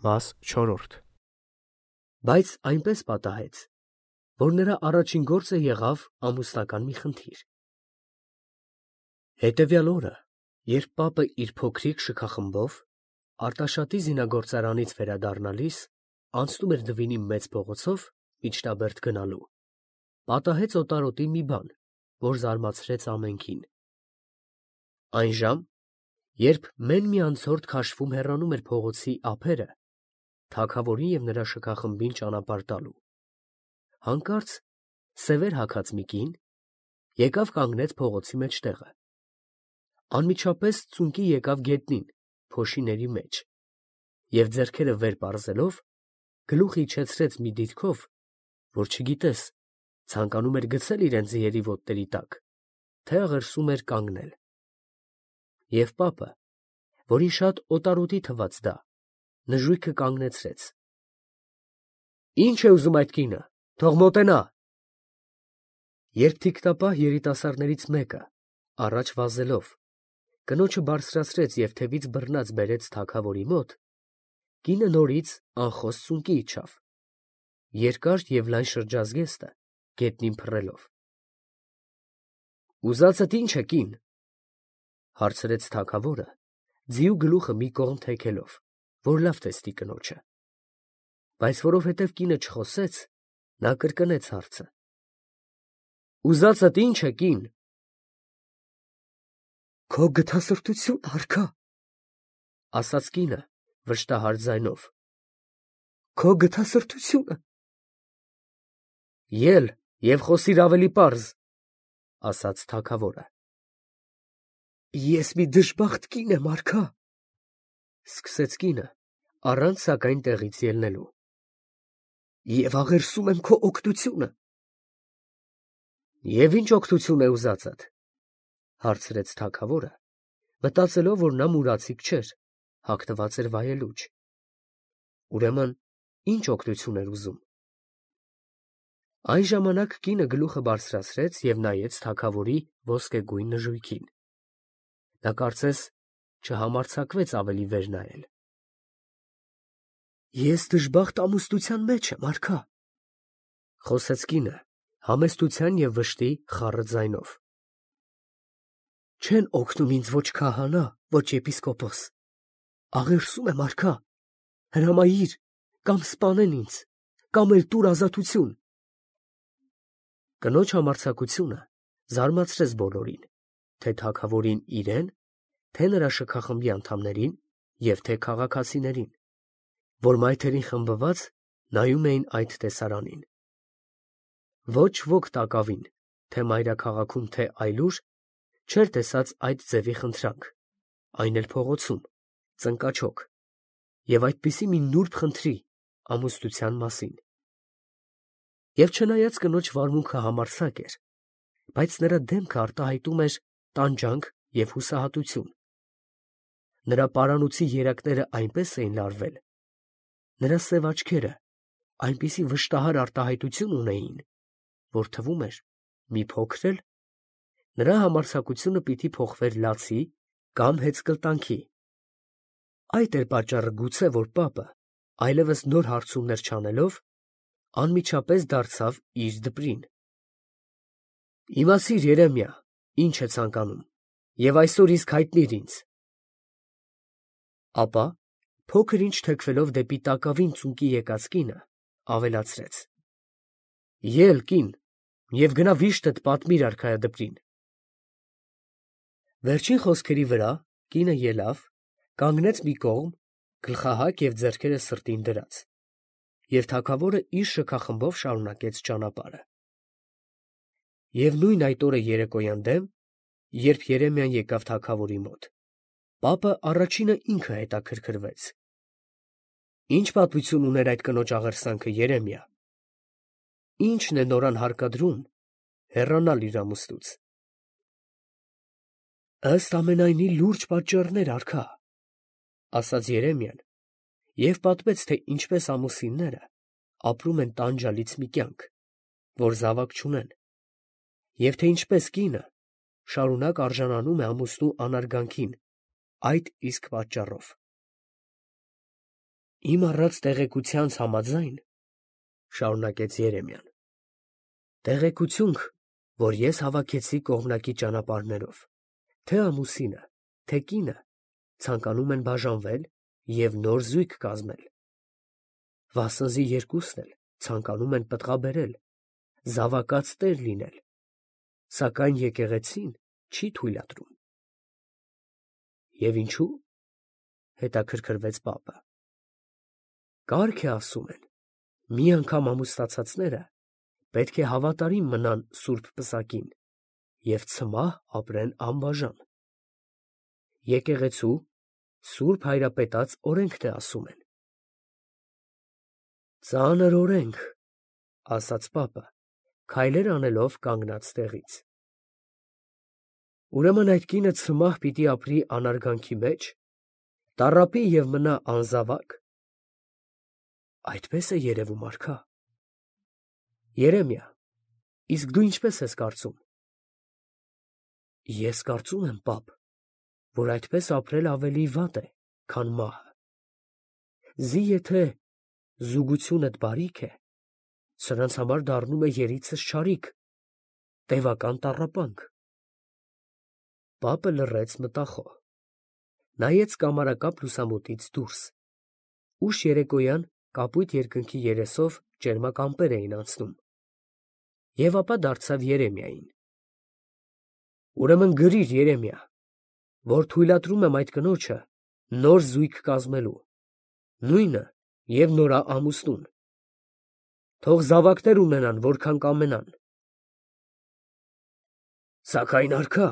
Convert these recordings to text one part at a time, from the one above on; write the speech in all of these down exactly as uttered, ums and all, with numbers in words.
Մաս չորրորդ Բայց այնպես պատահեց, որ նրա առաջին գործը եղավ ամուսնական մի խնդիր։ Հետևյալ օրը, երբ պապը իր փոքրիկ շքախմբով Արտաշատի զինագործարանից վերադառնալիս անցնում էր Դվինի մեծ փողոցով միջնաբերդ գնալու, պատահեց օտարոտի մի բան, որ զարմացրեց ամենքին։ Այն ժամ, երբ մեն մի անցորդ քաշվում հեռանում էր փողոցի ափերը, թագավորին և նրա շքախմբին ճանապարհ տալու, հանկարծ սևեր հագած մի կին եկավ կանգնեց փողոցի մեջտեղը, անմիջապես ծունկի եկավ գետնին, փոշիների մեջ, և ձեռքերը վեր պարզելով, գլուխ իջեցրեց մի դիրքով, որ չգիտես, ցանկանում էր գցել իրան ձիերի ոտների տակ, թե աղերսում էր կանգնել։ Եվ պապը, որին շատ օտարոտի թվաց դա, նժույգը կանգնեցրեց։ Ի՞նչ է ուզում այդ կինը, թող մոտենա։ Երբ թիկնապահ երիտասարդներից մեկը, առաջ վազելով, կնոջը բարձրացրեց և թևից բռնած բերեց թագավորի մոտ, կինը նորից անխոս ծունկի իջավ, երկար և լայն շրջազգեստը գետնին փռելով։ Ուզածդ ի՞նչ է, կին, հարցրեց թագավորը, ձիու գլուխը մի կողմ թեքելով, որ լավ տեսնի կնոջը, բայց որովհետև կինը չխոսեց, նա կրկնեց հարցը. Ուզածդ ի՞նչ է, կին։ Քո գթասրտությունն արքա, ասաց կինը վշտահար ձայնով, քո գթասրտությունը։ Ել և խոսիր ավելի պարզ, ասաց թագավորը։ Ես մի դժբախտ կին եմ, արքա, սկսեց կինը, առանց սակայն տեղից ելնելու, և աղերսում եմ քո օգնությունը։ Եվ ի՞նչ օգնություն է ուզածդ, հարցրեց թագավորը, մտածելով, որ նա մուրացիկ չէր, հագնված էր վայելուչ։ Ուրեմն ի՞նչ օգնություն էր ուզում։ Այն ժամանակ կինը գլուխը բարձրացրեց և նայեց թագավորի ոսկեգույն նժույգին։ Նա կարծես չհամարձակվեց ավելի վեր նայել։ Ես դժբախտ ամուսնության մեջ եմ, արքա, խոսեց կինը համեստության և վշտի խառը ձայնով։ Չեն օգնում ինձ ոչ քահանա, ոչ եպիսկոպոս, աղերսում եմ, արքա, հրամայիր, կամ սպանեն ինձ, կամ էլ տուր ազատություն։ Կնոջ համարձակությունը զարմացրեց բոլորին, թե թագավորին իրեն, թե նրա շքախմբի անդամներին և թե քաղաքացիներին, որ մայթերին խմբված նայում էին այդ տեսարանին։ Ոչ ոք տակավին, թե մայրաքաղաքում, թե այլուր, չէր տեսած այդ ձևի խնդրանք, այն էլ փողոցում, ծնկաչոք, և այդպիսի մի նուրբ խնդրի ամուսնության մասին։ Եվ չնայած կնոջ վարմունքը համարձակ էր, բայց նրա դեմքը արտահայտում էր տանջանք և հուսահատություն։ Նրա պարանոցի երակները այնպես էին լարվել, նրա սև աչքերը այնպիսի վշտահար արտահայտություն ունեին, որ թվում էր, մի փոքր էլ նրա համարձակությունը պիտի փոխվեր լացի կամ հեծկլտանքի։ Այդ էր պատճառը գուցե, որ պապը, այլևս նոր հարցումներ չանելով, անմիջապես դարձավ իր դպրին։ Իմացիր, Երեմիա, ինչ է ցանկանում, և այսօր իսկ հայտնիր ինձ։ Ապա, փոքր ինչ թեքվելով դեպի տակավին ծունկի եկած կինը, ավելացրեց. Ել, կին, և գնա վիշտդ պատմիր արքայադպրին։ Վերջին խոսքերի վրա կինը ելավ, կանգնեց մի կողմ, գլխահակ և ձեռքերը սրտին դրած, և թագավորը իր շքախմբով շարունակեց ճանապարհը։ Եվ նույն այդ օրը երեկոյան դեմ, երբ Երեմիան եկավ թագավորի մոտ, պապը առաջինը ինքը հետաքրքրվեց. Ի՞նչ պատմություն ուներ այդ կնոջ աղերսանքը, Երեմիա։ Ի՞նչն է նորան հարկադրում հեռանալ իր ամուսնուց։ Ըստ ամենայնի լուրջ պատճառներ, արքա, ասաց Երեմիան և պատմեց, թե ինչպես ամուսինները ապրում են տանջալից մի կյանք, որ զավակ չունեն, և թե ինչպես կինը շարունակ արժանանում է ամուսնու անարգանքին այդ իսկ պատճառով։ Իմ առած տեղեկությանց համաձայն, շարունակեց Երեմիան, տեղեկություն, որ ես հավաքեցի կողմնակի ճանապարհներով, թե ամուսինը, թե կինը ցանկանում են բաժանվել և նոր զույգ կազմել, վասնզի երկուսն էլ ցանկանում են պտղաբերել, զավակած տեր լինել, սակայն եկեղեցին չի թույլատրում։ Եվ ինչու՞, հետաքրքրվեց պապը։ Կարգ է, ասում են, մի անգամ ամուսնացածները պետք է հավատարիմ մնան սուրբ պսակին և ցմահ ապրեն անբաժան։ Եկեղեցու սուրբ հայրապետած օրենքն է, ասում են։ Ծանր օրենք, ասաց պապը, քայլեր անելով կանգնած տեղից։ Ուրեմն այդ կինը ցմահ պիտի ապրի անարգանքի մեջ, տառապի և մնա անզավակ։ Այդպես է երևում, արքա։ Երեմիա, իսկ դու ինչպես ես կարծում։ Ես կարծում եմ, պապ, որ այդպես ապրել ավելի վատ է, քան մահը։ Զի եթե զուգությունդ բարիք է, սրանց համար դառնում է երիցս չարիք, տևական տառապանք։ Պապը լռեց մտախոհ, նայեց կամարակապ լուսամուտից դուրս, ուշ երեկոյան կապույտ երկնքի երեսով ճերմակ ամպեր էին անցնում, և ապա դարձավ Երեմիային. Ուրեմն գրիր, Երեմիա, որ թույլատրում եմ այդ կնոջը նոր զույգ կազմելու, նույնը և նորամուսնուն, թող զավակներ ունենան, որքան կամենան։ Սակայն, արքա,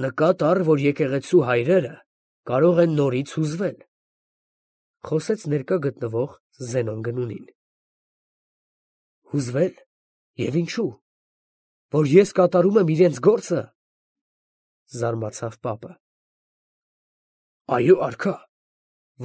նկատ առ, որ եկեղեցու հայրերը կարող են նորից հուզվել, խոսեց ներկա գտնվող Զենոն Գնունին։ Հուզվել, և ինչու, որ ես կատարում եմ իրենց գործը, զարմացավ պապը։ Այո, արքա,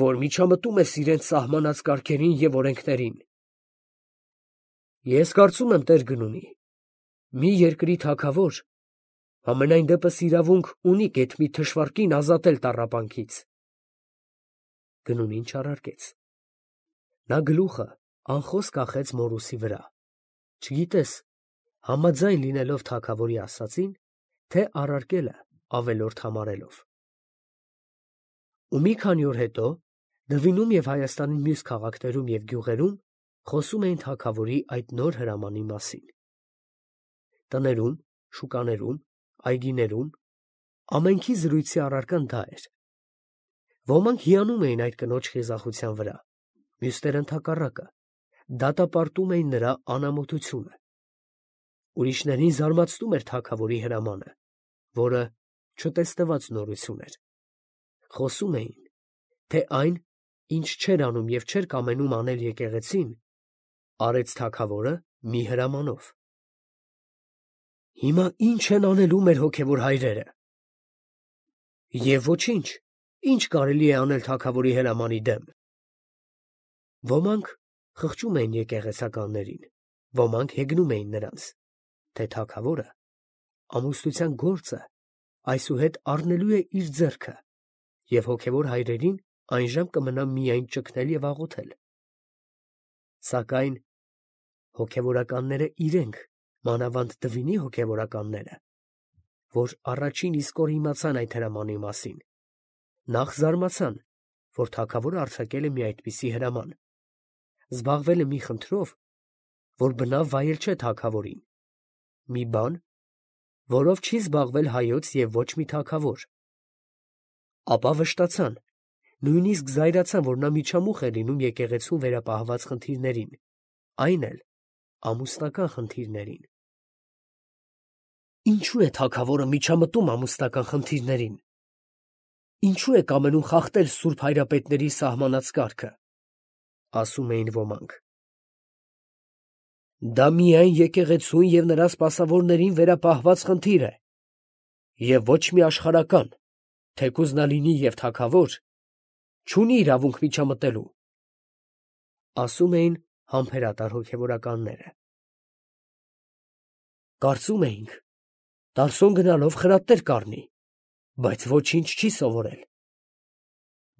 որ միջամտում ես իրենց սահմանած կարգերին և օրենքներին։ Ես կարծում եմ, Տեր Գնունի, մի երկրի թագավոր համենայն դեպս իրավունք ունի գեթ մի թշվառ կին ազատել տառապանքից։ Գնունին չարարկեց։ Նա գլուխը անխոս կախեց մորուսի վրա, չգիտես, համաձայն լինելով թագավորի ասածին, թե առարկելը ավելորդ համարելով։ Ու մի քանի օր հետո Դվինում և Հայաստանի մյուս քաղաքներում և գյուղերում խոսում էին թագավորի այդ նոր հրամանի մասին։ Տներում, շուկաներում, այգիներում ամենքի զրույցի առարկան դա էր։ Ոմանք հիանում էին այդ կնոջ խիզախության վրա, մյուսները ընդհակառակը, դատապարտում էին նրա անամոթությունը։ Ուրիշներին զարմացնում էր թագավորի հրամանը, որը չտեսնված նորություն էր։ Խոսում էին, թե այն, ինչ չէր անում և չէր կամենում անել եկեղեցին, արեց թագավորը մի հրամանով։ Հիմա ի՞նչ են անելու մեր հոգևոր հայրերը։ Եվ ոչինչ, ի՞նչ կարելի է անել թագավորի հրամանի դեմ։ Ոմանք խղճում էին եկեղեցականներին, ոմանք հեգնում էին նրանց, թե թագավորը ամուսնության գործը այսուհետ առնելու է իր ձեռքը, և հոգևոր հայրերին այժմ կմնա միայն ճգնել և աղոթել։ Սակայն հոգևորականները իրենք, մանավանդ Դվինի հոգևորականները, որ առաջին իսկ օր իմացան այդ հրամանի մասին, նախ զարմացան, որ թագավորը արձակել է մի այդպիսի հրաման, զբաղվել է մի խնդրով, որ բնավ վայել չէ թագավորին, մի բան, որով չի զբաղվել հայոց և ոչ մի թագավոր, ապա վշտացան, նույնիսկ զայրացան, որ նա միջամուխ է լինում եկեղեցուն վերապահված խնդիրներին, այն էլ ամուսնական խնդիրներին։ Ինչու է թագավորը միջամտում ամուսնական խնդիրներին։ Ինչու է կամենում խախտել սուրբ հայրապետների սահմանած կարգը, ասում էին ոմանք։ Դա միայն եկեղեցուն և նրա սպասավորներին վերապահված խնդիր է, և ոչ մի աշխարհական, թեկուզ նա լինի և թագավոր, չունի իրավունք միջամտելու, ասում էին համբերատար հոգևորականները։ Կարծում էինք, Տարսոն գնալով խրատներ կառնի, բայց ոչինչ չի սովորել։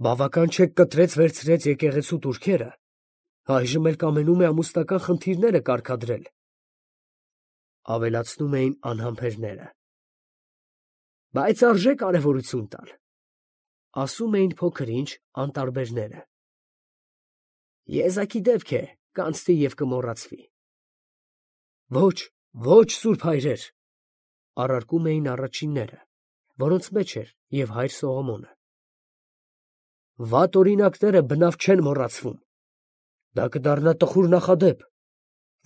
Բավական չէ կտրեց վերցրեց եկեղեցու տուրքերը, այժմ էլ կամենում է ամուսնական խնդիրները կարգադրել, ավելացնում էին անհամբերները։ Բայց արժե կարևորություն տալ, ասում էին փոքր ինչ անտարբերները։ Եզակի դեպք է, կանցնի և կմոռացվի։ Ոչ, ոչ, սուրբ հայրեր, առարկում էին առաջինները, որոնց մեջ էր և հայր Սողոմոնը։ Վատ օրինակները բնավ չեն մոռացվում։ Դա կդառնա տխուր նախադեպ,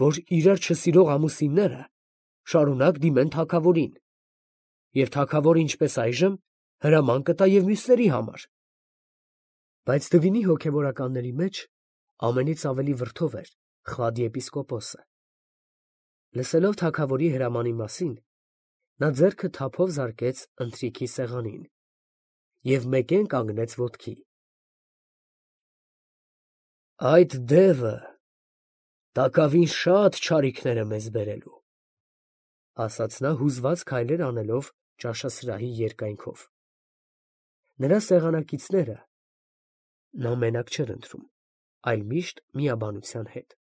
որ իրար չսիրող ամուսինները շարունակ դիմեն թագավորին, և թագավորը ինչպես այժմ հրաման կտա և մյուսների համար։ Բայց Դվինի հոգևորականների մեջ ամենից ավելի վրդով էր Խվադի եպիսկոպոսը։ Լսելով թագավորի հրամանի մասին, նա ձեռքը թափով զարկեց ընթրիքի սեղանին և մեկեն կանգնեց ոտքի։ Այդ դևը տակավին շատ չարիքներ է մեզ բերելու, ասաց նա հուզված քայլեր անելով ճաշասրահի երկայնքով։ Նրա սեղանակիցները նա մենակ չէր ընտրում, այլ միշտ միաբանության հետ,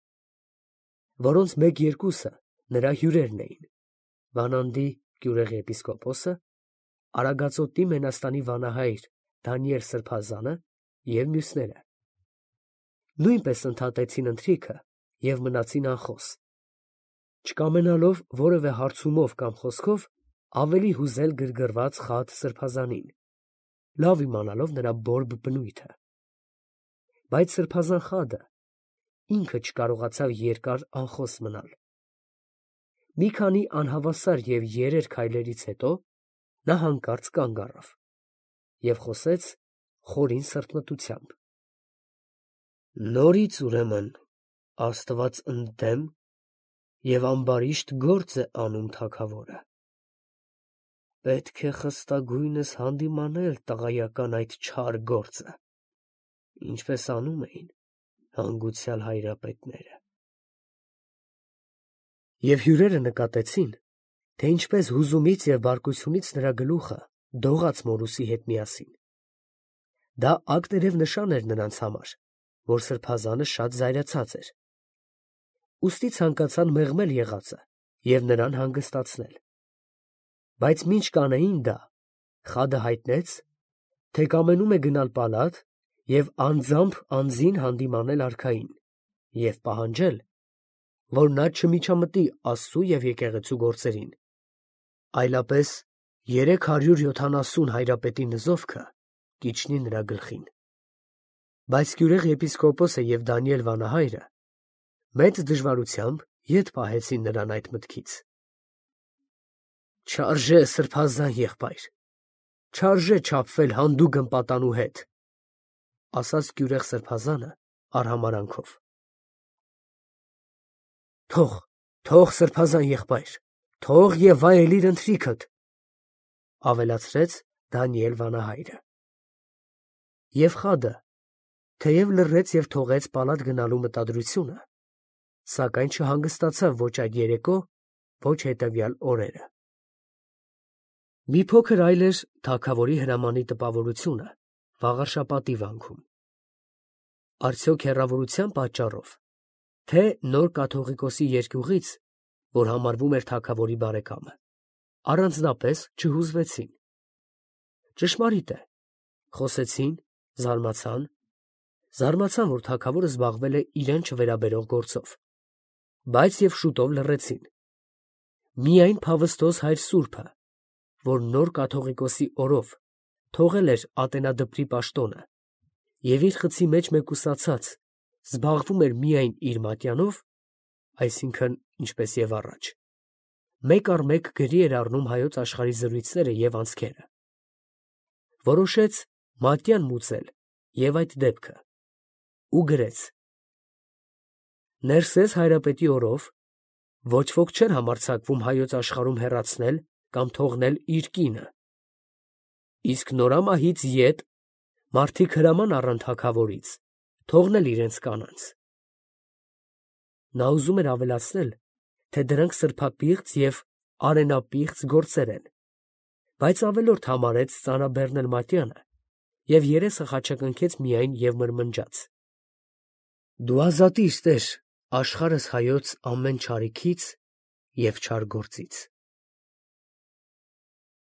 որոնց մեկ֊երկուսը նրա հյուրերն էին, Վանանդի գյուղի եպիսկոպոսը, Արագածոտի Մենաստանի վանահայր Դանիել սրբազանը և մյուսները։ Նույնպես ընդհատեցին ընթրիքը և մնացին անխոս, չկամենալով որևէ հարցումով կամ խոսքով ավելի հուզել գրգռված Խադ սրբազանին, լավ իմանալով նրա բորբ բնույթը։ Բայց սրբազան Խադը ինքը չկարողացավ երկար անխոս մնալ։ Մի քանի անհավասար և երեր քայլերից հետո նա հանկարծ կանգ առավ և խոսեց խորին սրտմտությամբ. Նորից, ուրեմն, Աստված ընդդեմ և ամբարիշտ գործ է անում թագավորը. պետք է խստագույնս հանդիմանել տղայական այդ չար գործը, ինչպես անում էին հանգուցյալ հայրապետները։ Եվ հյուրերը նկատեցին, թե ինչպես հուզումից և բարկությունից նրա գլուխը դողաց Մորուսի հետ միասին։ Դա ակտերև նշան էր նրանց համար, որ սրբազանը շատ զայրացած էր։ Ուստի ցանկացան մեղմել եղածը և նրան հանգստացնել։ Բայց մինչ կանեին դա, Խադը հայտնեց, թե կամենում է գնալ պալատ և անձամբ անձին հանդիմանել արքային և պահանջել, որ նա չմիջամտի աստծու և եկեղեցու գործերին, այլապես երեք հարյուր յոթանասուն հայրապետի նզովքը կիջնի նրա գլխին։ Բայց գյուղի եպիսկոպոսը և Դանիել վանահայրը մեծ դժվարությամբ ետ պահեցին նրան այդ մտքից։ Չարժե, սրբազան եղբայր, չարժե չափվել հանդուգն պատանու հետ, ասաց գյուղ սրբազանը արհամարհանքով։ Թող, թող, սրբազան եղբայր, թող և վայելիր ընթրիքդ, ավելացրեց Դանիել վանահայրը։ Եվ Խադը թեև լռեց և թողեց պալատ գնալու մտադրությունը, սակայն չհանգստացավ ոչ այդ երեկո, ոչ հետևյալ օրերը։ Մի փոքր այլ էր թագավորի հրամանի տպավորությունը Վաղարշապատի վանքում։ Արդյոք հեռավորության պատճառով, թե նոր կաթողիկոսի երկյուղից, որ համարվում էր թագավորի բարեկամը, առանձնապես չհուզվեցին։ Ճշմարիտ է, խոսեցին, զարմացան, զարմացան, որ թագավորը զբաղվել է իրեն չվերաբերող գործով, բայց և շուտով լռեցին։ Միայն փավստոս հայր սուրբը, որ նոր կաթողիկոսի օրով թողել էր ատենադպրի պաշտոնը և իր խցի մեջ մեկուսացած զբաղվում էր միայն իր մատյանով, այսինքն՝ ինչպես և առաջ, մեկ առ մեկ գրի էր առնում հայոց աշխարհի զրույցները և անցքերը, որոշեց մատյան մուծել և այդ դեպքը ու գրեց. Ներսես հայրապետի օրով ոչ ոք չէր համարձակվում հայոց աշխարհում հեռացնել կամ թողնել իր կինը, իսկ նորամահից ետ մարդիկ հրաման առան թագավորից թողնել իրենց կանանց։ Նա ուզում էր ավելացնել, թե դրանք սրբապիղծ և արենապիղծ գործեր են, բայց ավելորդ համարեց ծանրաբեռնել մատյանը և երեսը խաչակնքեց միայն և մրմնջաց. «Դու ազատիր, Տեր, աշխարհս հայոց ամեն չարիքից և չար գործից»։